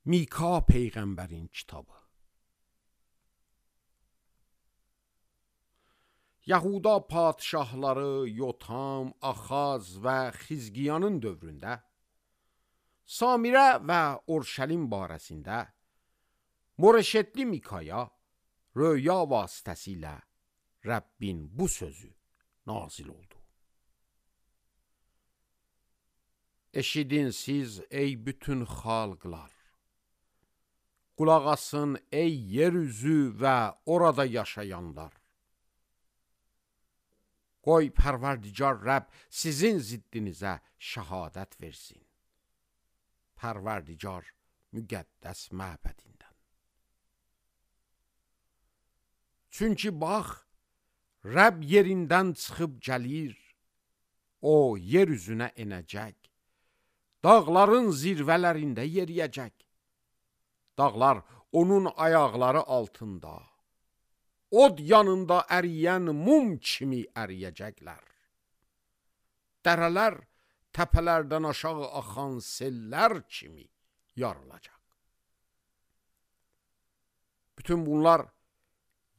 Mika Peyğəmbərin kitabı. Yahuda padişahları Yotam, Axaz və Xizqiyanın dövründə Samirə və Urşəlim barəsində Moreşetli Mikaya röya vasitəsilə Rəbbin bu sözü nazil oldu. Eşidin siz ey bütün xalqlar, qulaq asın ey yeryüzü və orada yaşayanlar. Qoy Pərverdigar Rəbb sizin ziddinizə şəhadət versin. Pərverdigar müqəddəs məbədindən. Çünki bax, Rəbb yerindən çıxıb gəlir, o yer üzünə enəcək, dağların zirvələrində yeriyəcək. Dağlar onun ayaqları altında, od yanında əriyən mum kimi əriyəcəklər. Dərələr təpələrdən aşağı axan sellər kimi yarılacaq. Bütün bunlar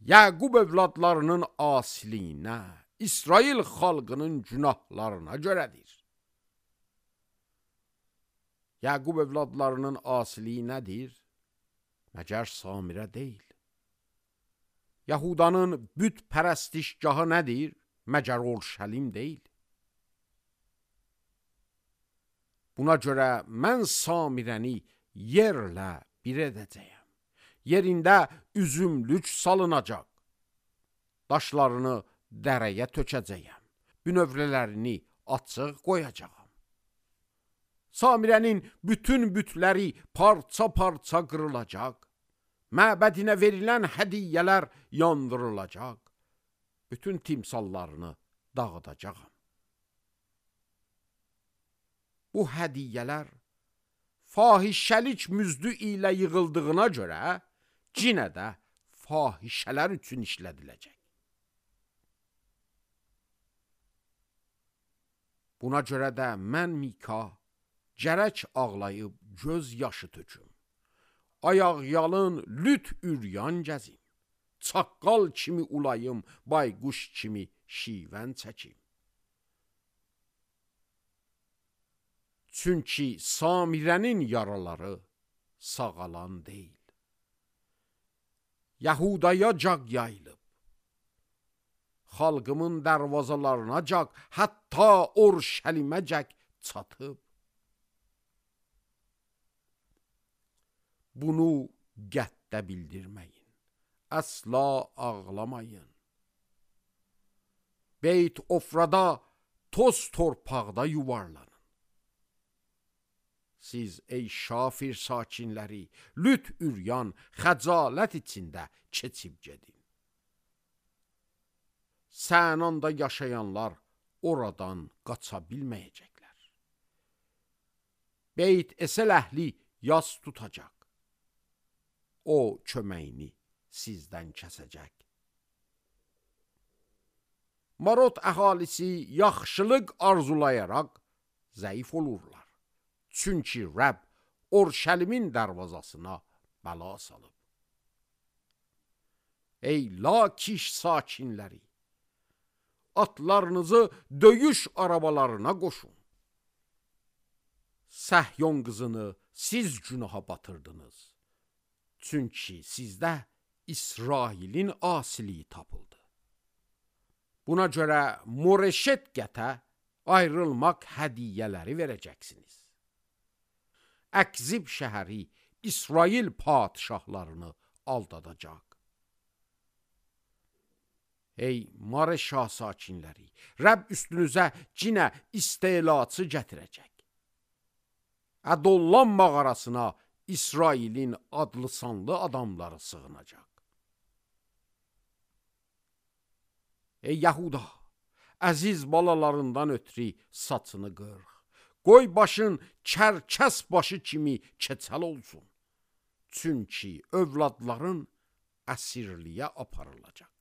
Yaqub övladlarının asiliyinə, İsrail xalqının günahlarına görədir. Yaqub övladlarının asiliyi nədir? Məgər Samirə deyil. Yahudanın büt pərəstişgahı nədir? Məgər Urşəlim deyil. Buna görə mən Samirəni yerlə bir edəcəyəm. Yerində üzümlük salınacaq. Daşlarını dərəyə tökəcəyəm. Bünövrələrini açıq qoyacağam. Samirənin bütün bütləri parça-parça qırılacaq. Məbədinə verilən hədiyyələr yandırılacaq. Bütün timsallarını dağıdacağam. Bu hədiyyələr fahişəlik müzdü ilə yığıldığına görə cinə də fahişələr üçün işlədiləcək. Buna görə də mən Mika gərək ağlayıb göz yaşı töküm. Ayaq yalın lüt üryan gəzim. Çaqqal kimi ulayım, bayquş kimi şivən çəkim. Çünki Samirənin yaraları sağalan deyil. Yahudaya caq yayılıb. Xalqımın dərvazalarına caq, hətta Urşəlimə caq çatıb. Bunu qətdə bildirməyin, əsla ağlamayın. Beyt Ofrada, toz torpaqda yuvarlanın. Siz ey Şafir sakinləri, lüt üryan, xəcalət içində keçib gedin. Sənanda yaşayanlar oradan qaça bilməyəcəklər. Beyt Esel əhli yas tutacaq. O köməyini sizdən kəsəcək. Marot əhalisi yaxşılıq arzulayaraq zəif olurlar. Çünki Rəbb Urşəlimin dərvazasına bəla salıb. Ey Lakiş sakinləri, atlarınızı döyüş arabalarına qoşun. Səhyon qızını siz günaha batırdınız. Çünki sizdə İsrailin asiliyi tapıldı. Buna görə Moreşet qətə ayrılmaq hədiyyələri verəcəksiniz. Əkzib şəhəri İsrail padişahlarını aldadacaq. Ey Mareşa sakinləri, Rəbb üstünüzə cinə istelatı gətirəcək. Ədollan mağarasına İsrailin adlı sanlı adamları sığınacaq. Ey Yahuda, əziz balalarından ötürü saçını qırx. Qoy başın çərkəs başı kimi keçəl olsun. Çünki övladların əsirliyə aparılacaq.